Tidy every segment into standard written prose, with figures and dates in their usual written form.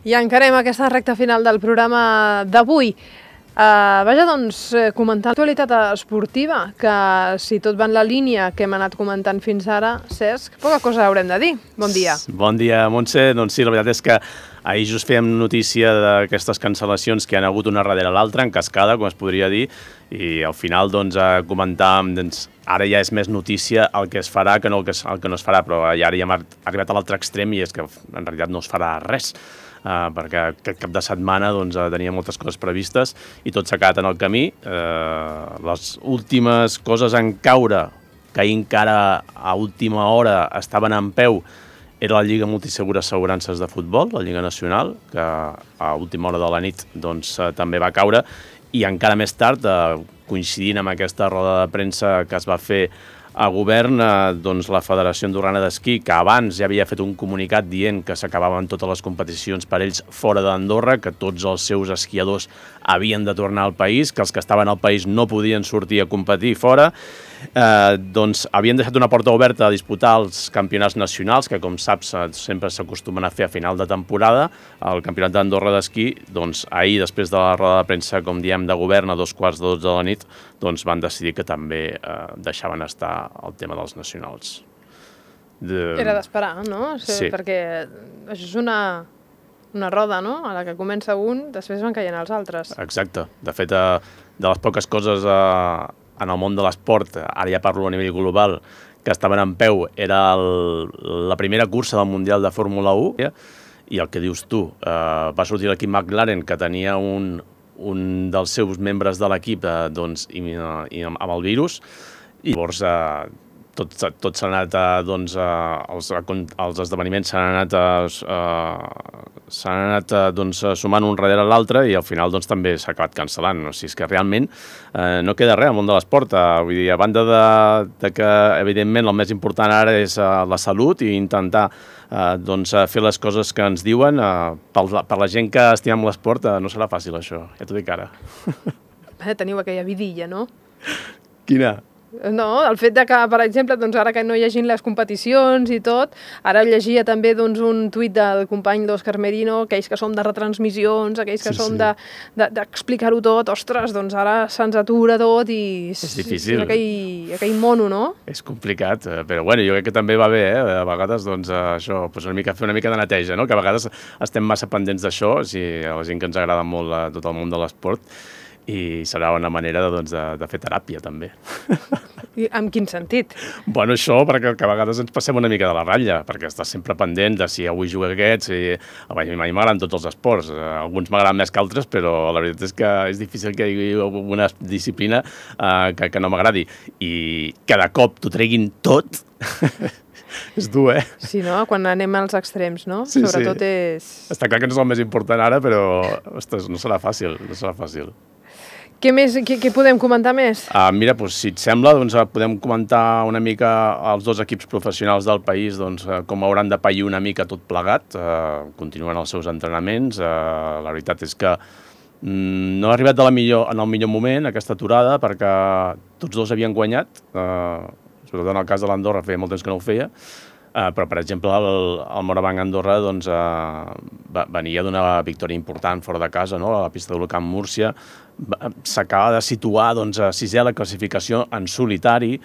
I encarem aquesta recta final del programa d'avui. Vaja, doncs, comentar l'actualitat esportiva, que si tot va en la línia que hem anat comentant fins ara, Cesc, poca cosa haurem de dir. Bon dia. Bon dia, Montse. Doncs sí, la veritat és que ahir just fèiem notícia d'aquestes cancel·lacions que han hagut una darrere l'altra, en cascada, com es podria dir, i al final doncs, comentàvem, doncs, ara ja és més notícia el que es farà que no el que no es farà, però ara ja hem arribat a l'altre extrem i és que en realitat no es farà res. Perquè aquest cap de setmana doncs, tenia moltes coses previstes i tot s'ha quedat en el camí. Les últimes coses en caure, que ahir encara a última hora estaven en peu, era la Lliga Multisegura Assegurances de Futbol, la Lliga Nacional, que a última hora de la nit doncs, també va caure, i encara més tard, coincidint amb aquesta roda de premsa que es va fer a govern, doncs la Federació Andorrana d'Esquí, que abans ja havia fet un comunicat dient que s'acabaven totes les competicions per ells fora d'Andorra, que tots els seus esquiadors havien de tornar al país, que els que estaven al país no podien sortir a competir fora, doncs havien deixat una porta oberta a disputar els campionats nacionals, que com saps sempre s'acostumen a fer a final de temporada. El campionat d'Andorra d'esquí, doncs ahir, després de la roda de premsa, com diem, de govern a 2:45 de la nit, doncs van decidir que també deixaven estar el tema dels nacionals. Era d'esperar, no? Sí. Perquè això és una roda, no? A la que comença un, després van caient els altres. Exacte. De fet, de les poques coses en el món de l'esport, ara ja parlo a nivell global, que estaven en peu, era la primera cursa del Mundial de Fórmula 1, i el que dius tu, va sortir l'equip McLaren, que tenia un dels seus membres de l'equip doncs, amb el virus, i llavors tot s'ha anat, doncs, els esdeveniments s'han anat doncs, sumant un darrere l'altre i al final doncs, també s'ha acabat cancel·lant. O sigui, és que realment no queda res al món de l'esport. Vull dir, a banda de que, evidentment, el més important ara és la salut i intentar doncs, fer les coses que ens diuen. Per la gent que estimem l'esport no serà fàcil, això. Ja t'ho dic ara. Teniu aquella vidilla, no? Quina? No, el fet de que, per exemple, doncs ara que no hi hagin les competicions i tot, ara llegia també doncs, un tuit del company d'Òscar Merino, aquells que som de retransmissions, aquells que som d'explicar-ho tot, ostres, doncs ara se'ns atura tot i és difícil. Aquell mono, no? És complicat, però bueno, jo crec que també va bé, a vegades doncs, això, doncs fer una mica de neteja, no? Que a vegades estem massa pendents d'això, a la gent que ens agrada molt tot el món de l'esport, i serà una manera doncs, de fer teràpia, també. I en quin sentit? Bueno, això, perquè a vegades ens passem una mica de la ratlla, perquè estàs sempre pendent de si avui juga aquest, a mi m'agraden tots els esports, alguns m'agraden més que altres, però la veritat és que és difícil que hi hagi alguna disciplina que no m'agradi, i cada cop t'ho treguin tot, és dur, Sí, no? Quan anem als extrems, no? Sí, sobretot és... Està clar que no és el més important ara, però ostres, no serà fàcil, no serà fàcil. Què podem comentar més? Mira, doncs, si et sembla, doncs, podem comentar una mica els dos equips professionals del país, doncs, com hauran de pair una mica tot plegat, continuen els seus entrenaments. La veritat és que no ha arribat en el millor moment aquesta aturada, perquè tots dos havien guanyat, sobretot en el cas de l'Andorra feia molt temps que no ho feia, però, per exemple, el Morabanc Andorra doncs, venia d'una victòria important fora de casa, no? A la pista del Camp Múrcia. S'acaba de situar doncs, a sisè a la classificació en solitari.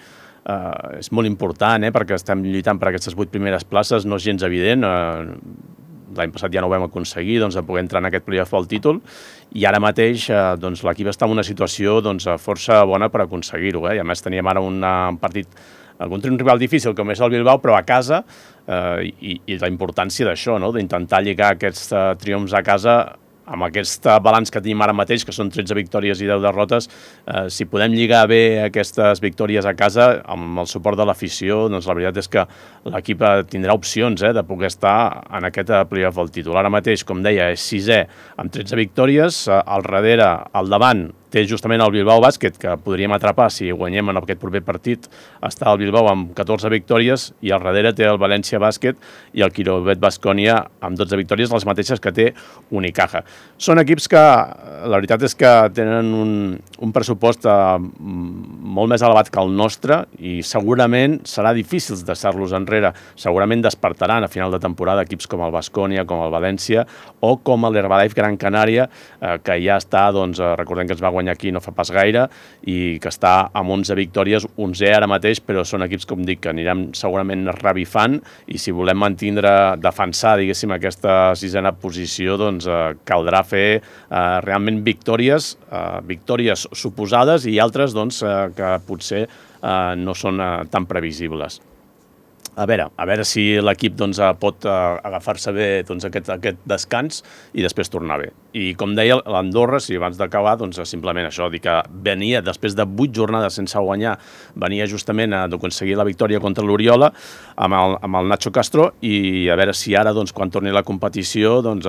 És molt important, perquè estem lluitant per aquestes 8 primeres places, no és gens evident. L'any passat ja no ho vam aconseguir, doncs, de poder entrar en aquest playoff al títol, i ara mateix doncs, l'equip està en una situació doncs, força bona per aconseguir-ho. I a més teníem ara un partit contra un rival difícil com és el Bilbao, però a casa, i la importància d'això, no? D'intentar lligar aquests triomfs a casa amb aquest balanç que tenim ara mateix, que són 13 victòries i 10 derrotes. Si podem lligar bé aquestes victòries a casa, amb el suport de l'afició, doncs la veritat és que l'equip tindrà opcions de poder estar en aquest playoff al títol. Ara mateix, com deia, és sisè amb 13 victòries, al darrere, al davant, té justament el Bilbao Bàsquet, que podríem atrapar si guanyem en aquest proper partit. Està el Bilbao amb 14 victòries i al darrere té el València Bàsquet i el Quirovet Baskonia amb 12 victòries, les mateixes que té Unicaja. Són equips que, la veritat és que tenen un pressupost molt més elevat que el nostre i segurament serà difícil deixar-los enrere. Segurament despertaran a final de temporada equips com el Baskonia, com el València o com l'Herbalife Gran Canària, que ja està, doncs, recordem que es va guanyar aquí no fa pas gaire i que està amb 11 victòries, 11è ara mateix, però són equips, com dic, que anirem segurament revifant i si volem defensar, diguéssim, aquesta sisena posició, doncs caldrà fer realment victòries suposades i altres doncs, que potser no són tan previsibles. A veure si l'equip doncs, pot agafar-se bé doncs, aquest descans i després tornar bé. I com deia, l'Andorra, si abans d'acabar, doncs, simplement això, dir que venia després de 8 jornades sense guanyar, venia justament d'aconseguir la victòria contra l'Oriola amb el Nacho Castro i a veure si ara, doncs, quan torni la competició, doncs,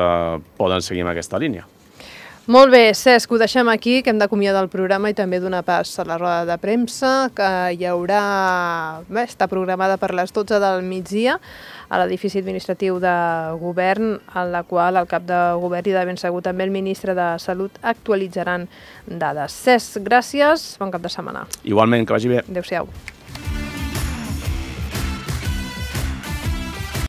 poden seguir amb aquesta línia. Molt bé, Cesc, ho deixem aquí, que hem d'acomiadar el programa i també donar pas a la roda de premsa, que hi haurà, està programada per les 12 del migdia a l'edifici administratiu de govern, en la qual el cap de govern i de ben segur també el ministre de Salut actualitzaran dades. Cesc, gràcies, bon cap de setmana. Igualment, que vagi bé. Adéu-siau.